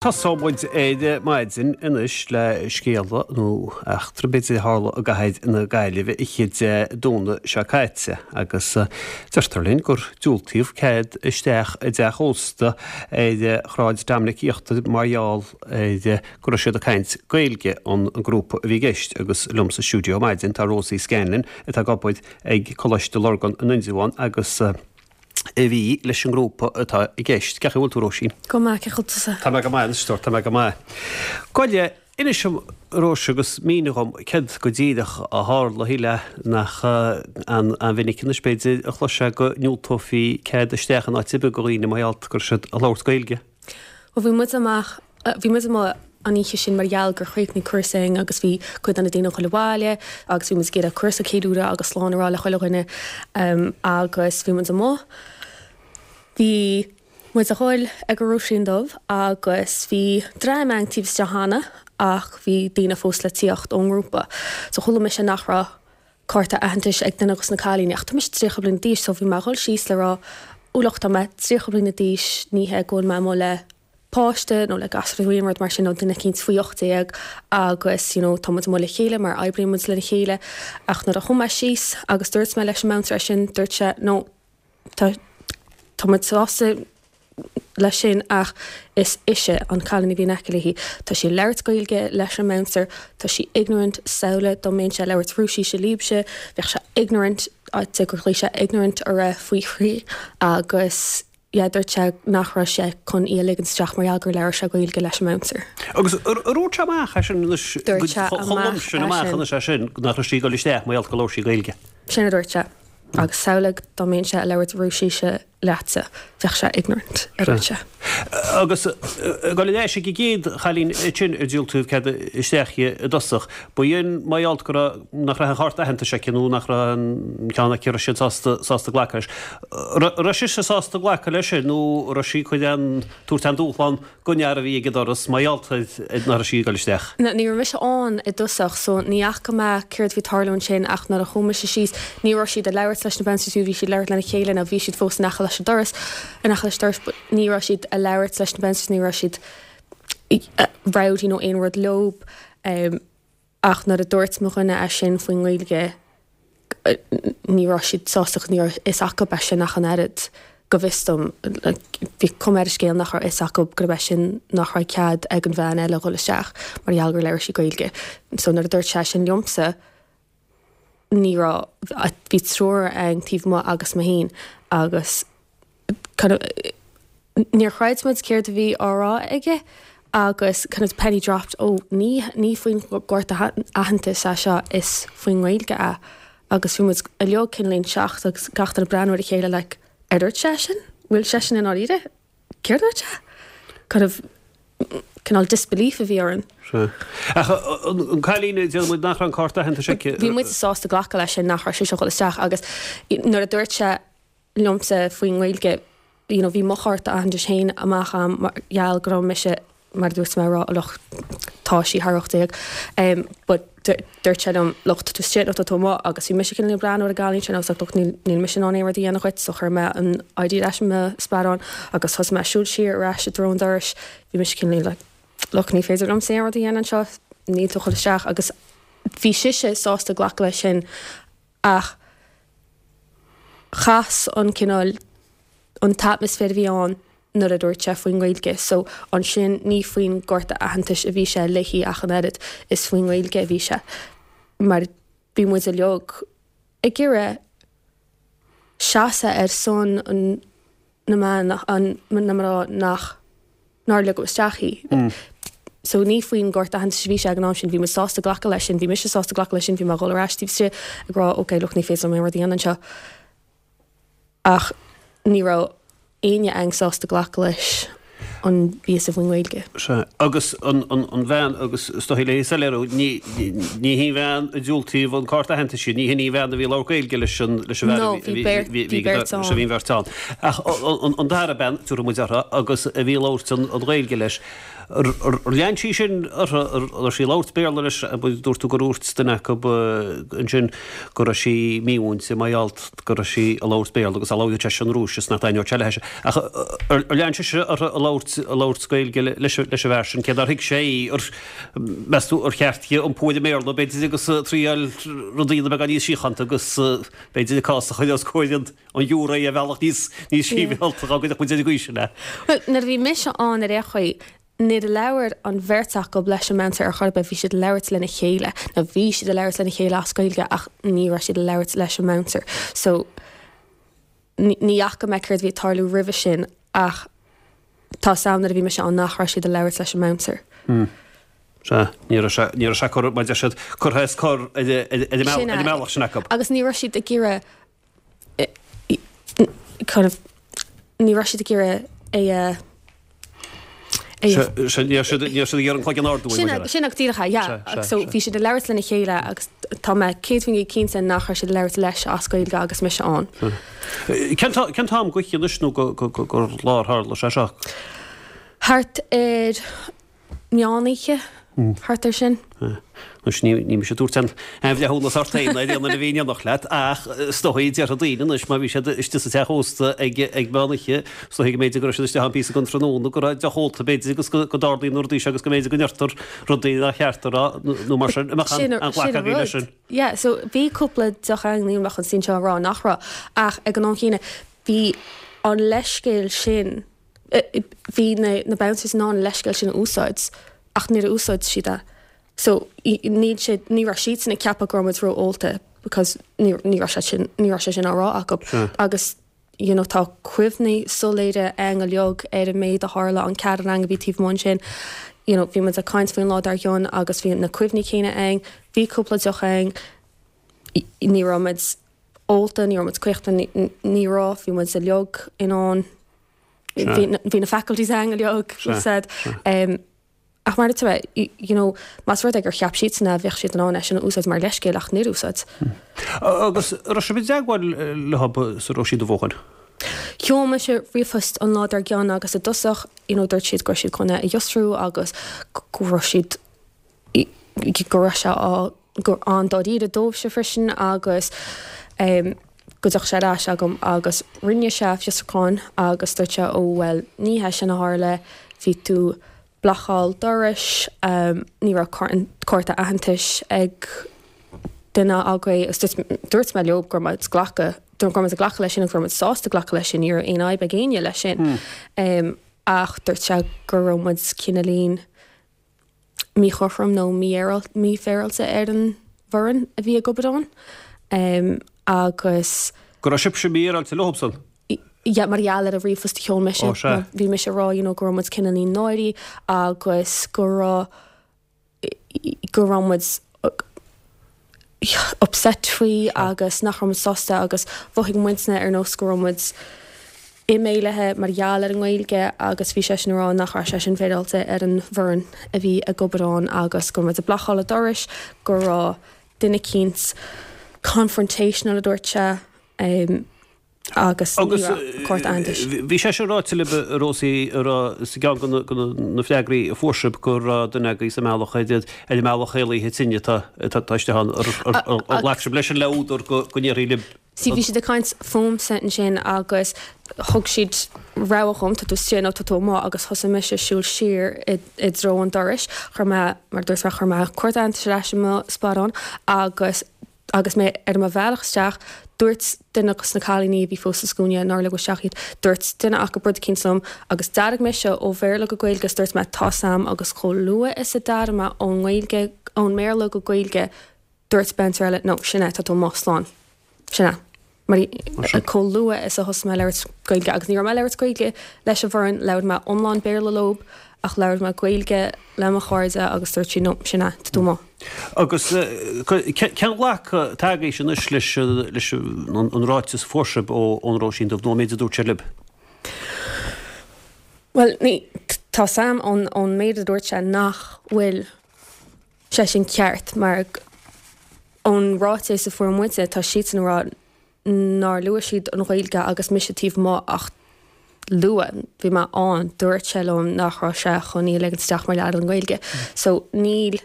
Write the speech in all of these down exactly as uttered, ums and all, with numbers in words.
Tosóidh muid ar maidin anois le scéala nó eachtra b'fhéidir a tharla i gcathair na Gaillimhe oíche Dé Domhnaigh seo caite agus deirtear linn gur diúltaíodh cead isteach i dteach ósta ar Shráid Dominic Íochtar mar gheall ar go raibh siad ag caint Gaeilge an grúpa a bhí i gceist agus liom sa stiúideo maidin tá Rosie Scanlon atá ag obair ag Coláiste Lurgan in Indreabhán agus a bhí leis an ngrúpa atá i gceist. Cén chaoi a bhfuil tú Róisín? Go maith cén chaoi a bhfuil tusa. Tá mé go maith anois tá mé go maith. Goile inis dom Róise agus mínigh dhom céard go díreach a tharla shílfeá nach an an-mhinic anois b'fhéidir a chloisfeá go ndiúltófaí cead isteach in áit ar bith do dhaoine mar gheall go raibh siad ag labhairt Gaeilge. Well bhí muid amach bhí muid amuigh an oíche sin mar gheall gur chríochnaigh cúrsa againn agus bhí cuid de na daoine ag dul abhaile agus bhí muid ag iarraidh cúrsa ceiliúradh agus slán a rá le chuile dhuine um, agus bhí muid amuigh. Bhí muid a dhul ag an Róisín Dubh agus bhí dream ann taobh istigh cheana ach bhí daoine fós le tíocht ón ngrúpa. So chuala mise nach raibh cárta aitheantais ag duine dos na cailíní ach tá mise tríocha bliain d'aois so bhí mé ag dul síos le rá ó look tá mé tríocha bliain d'aois ní hé go bhfuil mé amuigh le páiste nó le gasúr nó aon rud mar sin nó duine eicínt faoi ocht déag agus you know, tá muid amuigh le chéile mar oibríonn muid lena chéile ach nuair a chuaigh mé síos agus dúirt mé leis an mbouncer sin dúirt sé no tá tá muid sásta leis sin ach is ise an cailín a bhí in aice léi. Tá sí labhairt Gaeilge leis an mbouncer, tá sí ignorant samhlaigh dá mbeinnse ag labhairt Rúisise libhse, bheadh sé ignorant de gur ghlaoigh sé ignorant a raibh faoi thrí agus yeah, dúirt sé nach raibh sé chun í a ligean isteach mar gheall gur labhair sé Gaeilge leis an mbouncer. Agus dúirt sé amach é sin anois Dúirt sé amach sin amach é sin. anois é sin nach raibh sí ag dul isteach mar gheall go labhair sí Gaeilge. Sin a dúirt sé. Agus samhlaigh dá mbeinnse ag labhairt Rúisise leatsa, bheadh sé ignorant a dúirt sé. Agus go leis ag gcéad chailín sin ar diúltaíodh cead isteach i dtosach, Ba dhéan mar gheall go raibh nach raibh an chárta aitheantais aici nó nach raibh an ceann aici raibh siad sásta sásta glacadh leis. Raibh sise sásta glacadh leis sin nó raibh sí chun an tabhairt an dúshlán don fhear a bhí ag an doras mar gheall nach raibh sí ag dul isteach. Na, ní raibh mise ann i dtosach, so ní fhaca mé céard bhí tarlú ansin ach nuair a chuaigh mise síos, ní raibh siad ag labhairt leis na bouncers bhí siad labhairt lena chéile nó bhí siad fós in aice leis an doras in aice leis an doras, but ní raibh siad ag labhairt leis na bouncers, ní raibh siad rowdy nó aon rud leo um, ach nuair a dúirt mo dhuine é sin faoin nGaeilge ní raibh siad sásta ní raibh fhios acu é sin ach an oiread go bhfios dom bhí cuma ar an scéal nach raibh fhios acu gurb é sin nach raibh cead ag an bhean eile dhul isteach mar gheall gur labhair sí Gaeilge. So nuair a dúirt sé sin liomsa ní raibh bhí triúr ann taobh amuigh agus mé féin agus kind of, níor chreid muid céard a bhí á rá aige agus kind of penny dropped ó ní ní faoin gcárta aitheantais é seo is faoin nGaeilge é agus bhí muid uilig cineál shocked agus gach duine breathnú ar a chéile like ar dúirt sé sin bhfuil sé sin in áiríre céard dúirt sé kind of cineál disbelief a bhí orainn. Ach an cailín déarfaidh muid nach raibh an cárta aitheantais aici. Bhí muid sásta glacadh leis sin nach raibh sé seo dhul isteach agus nuair a dúirt sé liomsa faoin nGaeilge you know, bhí mo chárta aitheantais féin amach am mar gheall go raibh mise mar a dúirt mé rá look tá sí thar ocht déag um, but dúirt sé liom look tú istigh nó tá tú amuigh agus bhí mise cineál breathnú ar an gcailín sin agus look níl níl mise in ann aon rud a dhéanamh dhuit so chuir mé an ID leis mo sparán agus thosaigh mé siúl siar ar ais i dtreo an dorais bhí mise cineál like look ní féidir liom aon rud a dhéanamh anseo níl tú chun isteach agus bhí sise sásta glacadh leis sin ach chas an cineál an t-atmaisféar a bhí ann nuair a dúirt sé faoin nGaeilge, so ansin ní faoin gcárta aitheantais a bhí sé léi ach an oiread is faoin nGaeilge a bhí sé mar bhí muid uilig ag iarraidh seasamh ar son an na mban an na mná nach nár ligeadh isteach í. Mm. So ní faoin gcárta aitheantais a bhí sé ag an am sin, bhí muid sásta glacadh leis sin, bhí mise sásta glacadh leis sin, bhí mé ag dul ar ais taobh istigh ag rá ok look ní féidir liom aon rud a dhéanamh anseo. Ach ní raibh éinne ann sásta glacadh leis an bpíosa faoin nGaeilge. Sea, agus an, an, an bhean agus is dóigh léi soiléiriú ní ní hí bhean a diúltaíodh an cárta aitheantais di, ní hin í an bhean a bhí ag labhairt Gaeilge leis an leis an bhfear No, a bhí bhí beirt bhí bhí bhí beirt sé ann. bhí beirt ann. Ach an, an dara bean tabharfaidh muid uirthi agus a bhí ag labhairt an, an Ghaeilge leis. Ar lean sí sin uirthi ar sí ag labhairt Béarla leis dúirt tú gur dhúirt duine acu ansin go raibh sí mímhúinte mar gheall go raibh sí ag labhairt Béarla agus á labhairt seisean Rúisis nach dtaitneodh sé léi. Ach ar lean sise uirthi ag labhairt labhairt labhairt Gaeilge leis leis an bhfear sin cé nár thuig sé í ar meas tú ar cheart di iompú ar an mBéarla b'fhéidir agus triail rudaí a bheith níos síochánta agus b'fhéidir cás a chur os comhair an an ghiúiré ar bhealach níos níos sibhialta go gcuirfeadh muid ar an gcaoi sin é. Well nuair a bhí mise ann ar aon chaoi níor labhair an bheirt acu leis an mbouncer ar chor ar bith, bhí siad ag labhairt lena chéile, nó bhí siad ag labhairt lena chéile as Gaeilge ach ní raibh siad ag labhairt leis an mbouncer. So ní fhaca mé céard a bhí ag tarlú roimhe sin ach tá 's a'm nuair a bhí mise ann nach raibh siad ag labhairt leis an mbouncer. Sea, ní raibh sé, ní raibh sé curtha, mar a deir siad, curtha as cor ar an mbealach sin acu. Agus ní raibh siad ag iarraidh kind of, ní raibh siad ag iarraidh é a Ní raibh siad ag iarraidh an cloigeann a ardú. Sin sin go díreach é, yeah. So bhí siad ag labhairt lena chéile agus tá mé céad faoin gcéad cinnte nach raibh siad ag labhairt leis as Gaeilge agus mise ann. Cén t-am d'oíche anois nó gur lá ar tharla sé seo? Thart ar meánoíche, thart ar sin. Anois ní ní mise ag tabhairt aon bhreithiúnas ort féin ar aon duine a bhí in éineacht leat ach is dóigh déarfadh daoine anois má bhí siad istigh sa teach ósta ag ag meánoíche is dóigh go mb'fhéidir go raibh siad istigh ann píosa den tráthnóna go raibh deoch ólta b'fhéidir agus go go dtarlaíonn na rudaí seo agus go mb'fhéidir go ndeirtear rudaí nár cheart a rá nó mar sin an mbeadh Sin an sin ghlacadh an agaibh leis rud. sin. Yeah, so bhí cúpla deoch ann níl mé chun suí anseo a rá nach raibh ach ag an am chéanna bhí an leithscéal sin bhí na na bouncers in ann an leithscéal sin a úsáid ach níor úsáid siad é. So níl sé ní raibh siadsan ag ceapadh go raibh muid ró-ólta because ní ní raibh sé sin ní raibh sé sin á rá acu agus you know tá cuimhní soiléire againn uilig ar an méid a tharla an ceathrar againn a bhí taobh amuigh ansin you know bhí muid ag caint faoin lá dár gcionn agus bhí na cuimhní céanna againn, bhí cúpla deoch againn, ní raibh muid ólta, ní raibh muid caochta, ní raibh, bhí muid uilig in ann bhí na faculties againn uilig said. Um, ach mar atá you know, más rud é gur cheap siadsan é bheadh siad in ann é sin a úsáid mar leithscéal ach níor úsáid. Agus raibh sibh i dteagmháil leo sa Róisín Dubh ó shin? Sheol mise ríomhphost an lá dár gcionn agus i dtosach you know, dúirt siad go raibh siad chun é a fhiosrú agus go raibh siad go raibh sé á gur an-dáiríre dóibhse freisin agus um, go dtiocfadh sé ar ais agam agus rinne sé fiosrúchán agus dúirt sé ó bhuel ní hé sin a tharla bhí tú blocáil dorais um, ní raibh cárta aitheantais ag duine agaibh agus dúirt mé leo go raibh muid glacadh go raibh muid ag glacadh leis sin agus go raibh muid sásta glacadh leis sin ní raibh aon fhadhb ag éinne leis sin. Hmm. Um, ach dúirt sé go raibh muid cineáilín míchothrom nó mífhéaráilte ar an bhfoireann a bhí ag obair ann. Um, agus Go raibh sibhse mífhéaráilte leosan? Ja, mar gheall ar an ríomhphost a sheol mise bhí mise ag rá you know, go raibh muid cineáilín náirithe agus go raibh go raibh muid upset faoi agus nach raibh muid sásta agus mhothaigh muidne ar nós go raibh muid imeallaithe mar gheall ar an nGaeilge agus bhí seisean ag rá nach raibh sé sin féaráilte ar an bhfoireann a bhí ag obair ann agus go raibh muid ag blocáil an dorais go raibh duine eicínt confrontational a dúirt sé um, agus Agus cárta aitheantais. bhí sé sin ráite libh a Rósaí a rá sa gceann de na freagraí a fuair sibh go raibh duine agaibh sa mbealach ar an mbealach éalaithe tine atá istigh ann ar ghlac sibh leis an le údar go ndéarfaí libh. Sí bhí siad ag caint fúmsa ansin agus thug siad rabhadh dhom tá tú istigh nó tá tú amuigh agus thosaigh mise ag siúl siar i dtreo an dorais chuir mé mar dúirt mé chuir mé cárta aitheantais ar ais i mo sparán agus agus mé ar mo bhealach isteach dúirt duine de na cailíní a bhí fós sa scuaine nár ligeadh isteach iad dúirt duine acu rud eicínt liom agus d'athraigh mise ó Bhéarla go Gaeilge agus dúirt mé tá 's a'm agus chomh luath is a d'athraigh mé ón nGaeilge ón mBéarla go Gaeilge dúirt bouncer eile no sin é tá tú amuigh slán sin é mar chomh luath is a thosaigh mé ag labhairt Gaeilge agus ní raibh mé ag labhairt Gaeilge leis an bhfoireann labhair mé iomlán Béarla leo ach labhair mé Gaeilge le mo chairde agus dúirt sí no sin é tá tú amuigh. Agus cén ghlacadh atá agaibhse anois leis leis an ráiteas a fuair sibh ón Róisín Dubh nó an méid a dúirt sé libh? Bhuel ní tá 's a'm ón ón méid a dúirt sé nach bhfuil sé sin ceart mar ón ráiteas a fuair muide tá siadsan ag rá nár luaigh siad an Ghaeilge agus mise taobh amuigh ach luaigh bhí mé ann dúirt sé liom nach raibh sé chun í a ligean isteach mar gheall ar an nGaeilge. So níl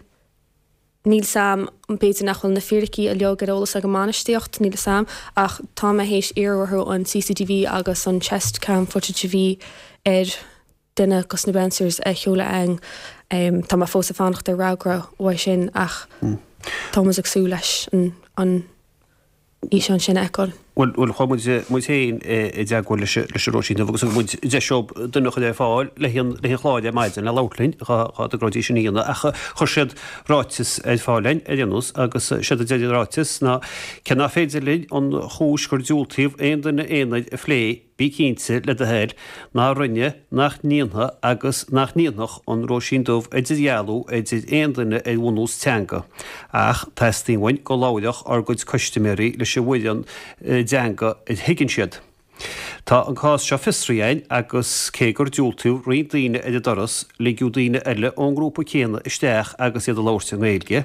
níl 's a'm b'fhéidir nach bhfuil na fíricí uilig ar eolas ag an mbainistíocht níl 's a'm ach tá mé théis iarraidh orthu an CCTV agus an chest cam footage a bhí ar duine dos na bouncers a sheoladh againn. Um, tá mé fós ag fanacht ar fhreagra uaidh sin ach mm. tá muid ag súil leis an, an fhíseán sin a fheiceáil. Bhuel bhuel chuaigh muid muid féin i dteagmháil leis leis an Róisín Dubh agus muid deis duine a chur ar fáil le haghaidh le haghaidh an chláir ar maidin le labhairt linn dhá dhá dtagróidís sin a dhéanamh ach chuir siad ráiteas ar fáil linn ar aon nós agus séard a deir an ráiteas ná cé nach féidir linn an chúis gur diúltaíodh aon duine aonair a phlé Bí cinnte, le do thoil, nár rinne, nach ndéanfaidh agus nach ndéanfadh an Róisín Dubh idirdhealú idir aon duine ar bhunús teanga. Ach teastaíonn uainn go labhródh ár gcuid custaiméirí leis an bhfoireann i dteanga a thuigeann siad. Tá an cás seo fiosraithe againn agus cé gur diúltaíodh roinnt daoine ar an doras, ligeadh daoine eile ón ngrúpa céanna isteach agus iad ag labhairt i nGaeilge.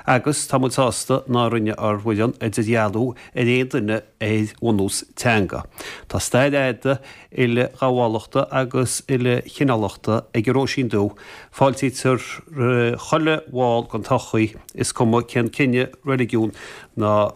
Agus tá muid sásta nár rinne ár bhfoireann idirdhealú ar aon duine ar bhunús teanga. Tá stair fhada uileghabhálachta agus uilechineálachta ag an Róisín Dubh, fáiltítear roimh chuile bhall den tsochaí, is cuma cén cine, reiligiún ná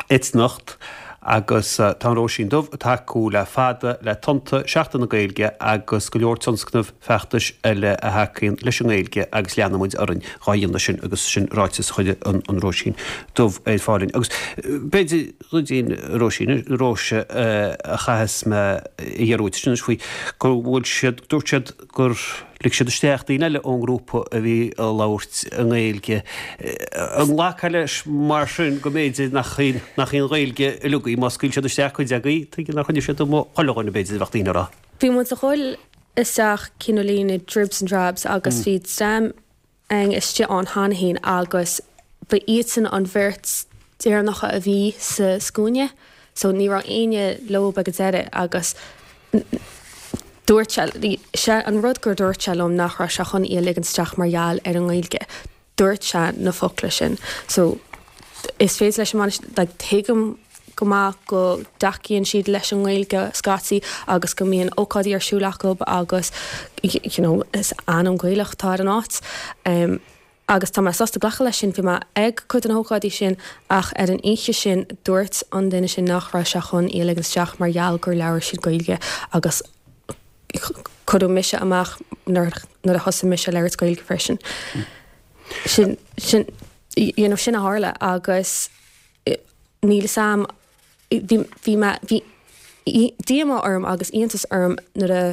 eitneacht, agus tá an Róisín Dubh ag tacú le fada le Tonnta, Seachtain na Gaeilge agus go leor tionscnamh feachtais eile a thacaíonn leis an nGaeilge agus leanfaidh muid orainn dhá dhéanamh sin agus sin ráiteas a chuir an Róisín Dubh ar fáil linn. Agus b'fhéidir ruidín Róisín, Róise a chaithfeas mé a iarraidh uait anois faoi go bhfuil siad, dúirt siad gur lig siad isteach daoine eile ón ngrúpa a bhí ag labhairt i nGaeilge. An nglacfá leis mar sin go mb'fhéidir nach í nach í an Ghaeilge uilig í má scaoil siad isteach cuid agaibh, tuige nár choinnigh siad amuigh chuile dhuine b'fhéidir a bheadh daoine a rá. Bhí muid a dhul isteach cineáilín i dribs and drabs agus bhí dream againn istigh ann cheana féin agus ba iadsan an bheirt deireanacha a bhí sa scuaine so ní raibh éinne leo ag an deireadh agus Dúirt sé, sé an rud gur dúirt sé liom nach raibh sé chun í a ligean isteach mar gheall ar an nGaeilge. Dúirt sé na focla sin. So, is féidir leis an mbainisteoir, like, tuigim go maith go dtacaíonn siad leis an nGaeilge scaití agus go mbíonn ócáidí ar siúl acu agus, you know, is ainm Gaelach atá ar an áit. Um, agus tá mé sásta glacadh leis sin, bhí mé ag cuid de na hócáidí sin ach ar an oíche sin dúirt an duine sin nach raibh sé chun í a ligean isteach mar gheall gur labhair siad Gaeilge agus cuireadh mise amach nuair a thosaigh mise a labhairt Gaeilge freisin. Sin, sin, you know, sin a tharla agus níl fhios a'm, bhí, bhí mé, bhí díomá orm agus iontas orm nuair a,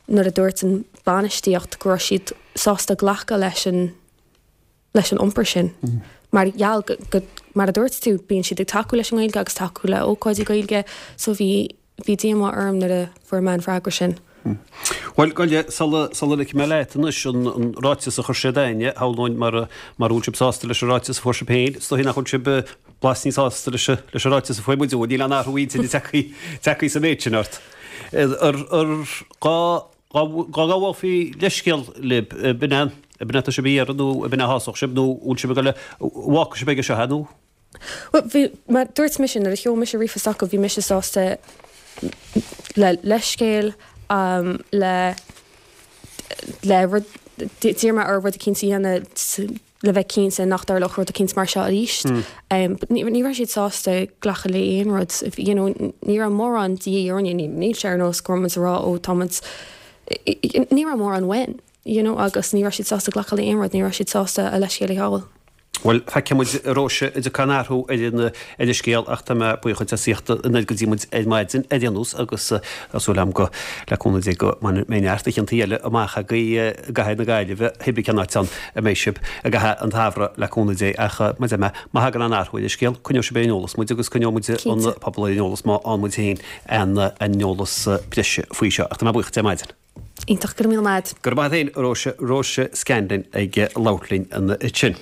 nuair a dúirt an bainistíocht go raibh siad sásta glacadh leis an leis an iompar sin. Mar gheall go, go, mar a dúirt tú, bíonn siad ag tacú leis an nGaeilge agus tacú le ócáidí Gaeilge so bhí, bhí díomá orm nuair a fuair mé an freagra sin. Bhuel, gabh i leith, sula, sula ligfidh mé leat anois an, an ráiteas a chuir siad a'inne, shamhlóinn mura, mura bhfuil sibh sásta leis an ráiteas a fuair sibh féin, is dóigh nach bhfuil sibh blas níos sásta leis an, leis an ráiteas a fuair muid uaibh, níl aon athrú intinne tagtha, tagtha sa mhéid sin ort. Ar, ar, dhá, dhá, dhá ngabhfaí leithscéal libh, b'in é, b'in é atá sibh a iarraidh nó b'in é a shásódh sibh nó bhfuil sibh ag dul a, bhfágfaidh sibh aige seo é nó? Bhuel, bhí, mar dúirt mise, nuair a sheol mise ríomhphost acu, bhí mise sásta le leithscéal, le, le rud, d'iarr mé orthu rud eicínt a dhéanamh le bheith cinnte nach dtarlódh rud eicínt mar seo arís. But ní, ní raibh siad sásta glacadh le aon rud, you know, ní raibh mórán de dhíth orainne, ní, níl sé ar nós go raibh muid ag rá ó tá muid, ní raibh mórán uainn, you know, agus ní raibh siad sásta glacadh le aon rud, ní raibh siad sásta a leithscéal a ghabháil. Bhuel, feicfidh muid, a Róise, an dtiocfaidh aon athrú ar an ar an scéal ach tá mé buíoch duit as ucht an oiread go dtí muid ar maidin ar aon nós agus tá súil agam go, le cúnamh Dé, go mbeidh neart oícheantaí eile amach agaibh i gcathair na Gaillimhe, cibé cén áit ann a mbeidh sibh i gcaitheamh an tsamhraidh le cúnamh Dé ach mar a deir mé, má thagann aon athrú ar an scéal, coinneoidh sibh ar an eolas muid agus coinneoidh muid an pobal ar an eolas má fhaigheann muid féin aon aon eolas breise faoi seo. Ach tá mé buíoch duit ar maidin. Iontach, go raibh míle maith. Go raibh maith agat féin, a Róise, Róise Scanlon ag labhairt linn ansin.